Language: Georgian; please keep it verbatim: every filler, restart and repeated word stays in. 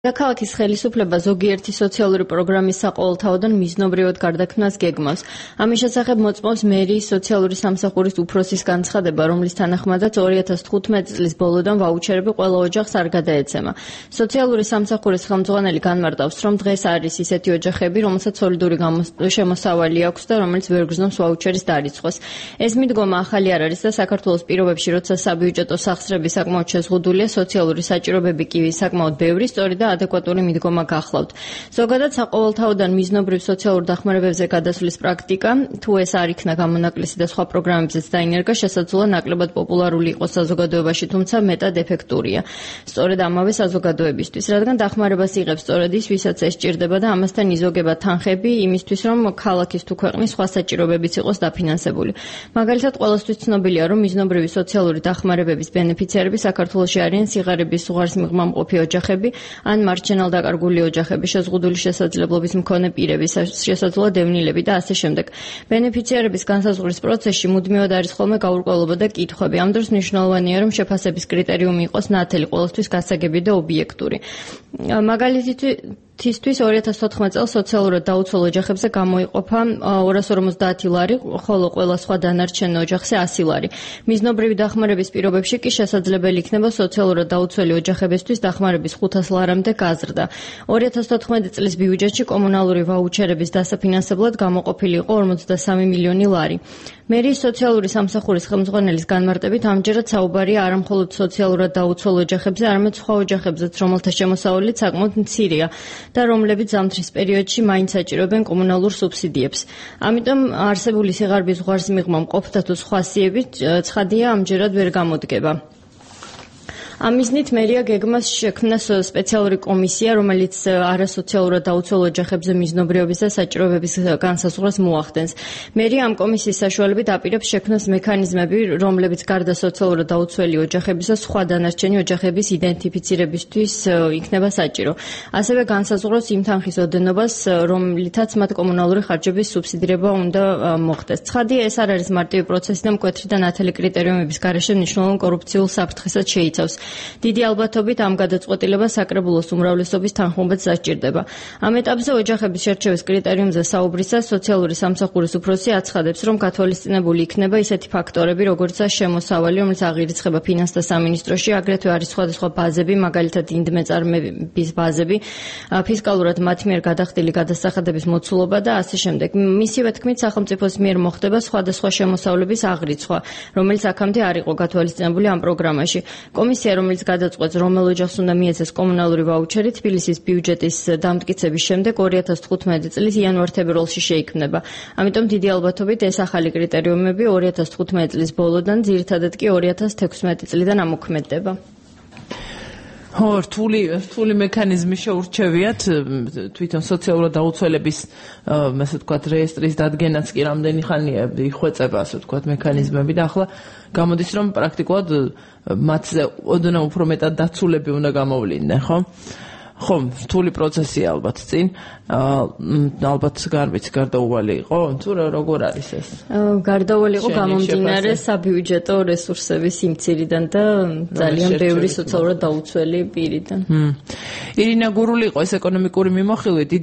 ქალაქის ხელისუფლება ზოგიერთი სოციალური პროგრამის საყოველთაოდან მიზნობრივად გარდაქმნას გეგმავს. ამის შესახებ მოწმობს მერიის სოციალური სამსახურის უფროსის განცხადება, რომლის თანახმადაც ორი ათას თხუთმეტი წლის ბოლოდან ვაუჩერები ყველა ოჯახს არ გადაეცემა. სოციალური სამსახურის ხელმძღვანელი განმარტავს, რომ დღეს არის ისეთი ოჯახები, რომელსაც სოლიდური შემოსავალი აქვს და რომელიც ვერ გრძნობს ვაუჩერის დარიცხვას. ეს მიდგომა ახალი არ არის და საქართველოს პირობებში, როცა საბიუჯეტო სახსრები საკმაოდ შეზღუდულია, სოციალური საჭიროებები კი საკმაოდ ბევრი, სწორედ და ადეკვატური მიდგომა გახლავთ. ზოგადად საყოველთაოდან მიზნობრივ სოციალურ დახმარებებზე გადასვლის პრაქტიკა, თუ ეს არ იქნა გამონაკლისი და სხვა პროგრამებზეც დაინერგა, შესაძლოა ნაკლებად პოპულარული იყოს საზოგადოებაში, თუმცა მეტად ეფექტურია. სწორედ ამავე საზოგადოებისთვის, რადგან დახმარებას იღებს სწორედ ის, ვისაც ეს სჭირდება და ამასთან იზოგება თანხები იმისთვის, რომ ქალაქის თუ ქვეყნის სხვა საჭიროებებიც იყოს დაფინანსებული. მაგალითად, ყველასთვის ცნობილია, რომ მიზნობრივი სოციალური დახმარებების ბენეფიციარები საქართველოში არიან სიღარიბის უღარსმიღმამყოფი ოჯახები, ან მარჯვენალ დაკარგული ოჯახები, შეზღუდული შესაძლებლობის მქონე პირები, შესაძლოა დევნილები და ასე შემდეგ. ბენეფიციარების განსაზღვრის პროცესში მუდმივად არის ხოლმე გაურკვევლობა და კითხვები. ამ დროს მნიშვნელოვანია, რომ შეფასების კრიტერიუმი იყოს ნათელი, ყოველთვის გასაგები და ობიექტური. მაგალითისთვის ორი ათას თოთხმეტ წელს სოციალურად დაუცველ ოჯახებზე გამოიყოფა ორას ორმოცდაათი ლარი, ხოლო ყველა სხვა დანარჩენ ოჯახზე ასი ლარი. მიზნობრივი დახმარების პირობებში კი შესაძლებელი იქნება სოციალურად დაუცველი ოჯახებისთვის დახმარების ხუთას ლარამდე გაზრდა. ორი ათას თოთხმეტი წლის ბიუჯეტში კომუნალური ვაუჩერების დასაფინანსებლად გამოყოფილი იყო ორმოცდასამი მილიონი ლარი. მერიის სოციალური სამსახურის ხელმძღვანელის განმარტებით ამჯერად საუბარია არა მხოლოდ სოციალურად დაუცველ ოჯახებზე, არამედ სხვა ოჯახებზეც, რომელთა შემოსავალიც საკმაოდ მცირეა და რომლებიც ზამთრის პერიოდში მაინც საჭიროებენ კომუნალურ სუბსიდიებს. ამიტომ არსებული სიღარიბის უღარსმიღმამყოფთა თუ სხვა სიები ცხადია ამჯერად ვერ გამოდგება. ამ მიზნით მერია გეგმას შექმნა სპეციალური კომისია, რომელიც არასოციალურად დაუცველ ოჯახებზე მიზნობრიობის და საჭიროებების განსაზღვრას მოახდენს. მერია ამ კომისიის საშუალებით აპირებს შექმნას მექანიზმები, რომლებიც გარდა სოციალურად დაუცველი ოჯახებისა სხვა დანარჩენი ოჯახების იდენტიფიცირებისთვის იქნება საჭირო. ასევე განსაზღვროს იმ თანხის ოდენობას, რომლითაც მათ კომუნალური ხარჯების სუბსიდირება უნდა მოხდეს. ცხადია, ეს არ არის მარტივი პროცესი და მკვეთრი და ნათელი კრიტერიუმების გარეშე მნიშვნელოვან კორუფციულ საფრთხესაც შეიცავს. დიდი ალბათობით ამ გადაწყვეტილებას საკრებულოს უმრავლესობის თანხმობაც დასჭირდება. ამ ეტაპზე ოჯახების შერჩევის კრიტერიუმზე საუბრისას სოციალური სამსახურის უფროსი აცხადებს, რომ გათვალისწინებული იქნება ისეთი ფაქტორები, როგორიცაა შემოსავალი, რომელიც აღირიცხება ფინანსთა სამინისტროში, აგრეთვე არის სხვადასხვა ბაზები, მაგალითად ინდმეწარმეების ბაზები, ფისკალურად მათ მიერ გადახდილი გადასახადების მოცულობა და ასე შემდეგ. მისივე თქმით, სახელმწიფოს მიერ მოხდება სხვადასხვა შემოსავლების აღრიცხვა, რომელიც აქამდე არ იყო გათვალისწინებული ამ პროგრამაში. კომისია, რომელიც გადაწყვეტს, რომელ ოჯახს უნდა მიეცეს კომუნალური ვაუჩერი, თბილისის ბიუჯეტის დამტკიცების შემდეგ ორი ათას თხუთმეტი წლის იანვარ-თებერვალში შეიქმნება. ამიტომ დიდი ალბათობით ეს ახალი კრიტერიუმები ორი ათას თხუთმეტი წლის ბოლოდან, ძირითადად კი ორი ათას თექვსმეტი წლიდან ამოქმედდება. ხო, რთული რთული მექანიზმი შეურჩევიათ თვითონ სოციალურად დაუცველების ასე ვთქვათ რეესტრის დადგენაც კი რამდენი ხანია იხვეწება ასე ვთქვათ მექანიზმები და ახლა გამოდის რომ პრაქტიკულად მათზე ოდნავ უფრო მეტად დაცულები უნდა გამოვლიდნენ, ხო? ხო, რთული პროცესია ალბათ წინ. ალბათ გარბიც გარდაუვალი იყო, თუ როგორ არის ეს? გარდაუვალი იყო გამომდინარე საბიუჯეტო რესურსების სიმცირიდან და ძალიან ბევრი სოციალურად დაუცველი პირიდან. ირინა გურული იყო ეს ეკონომიკური მიმოხილვე. დიდი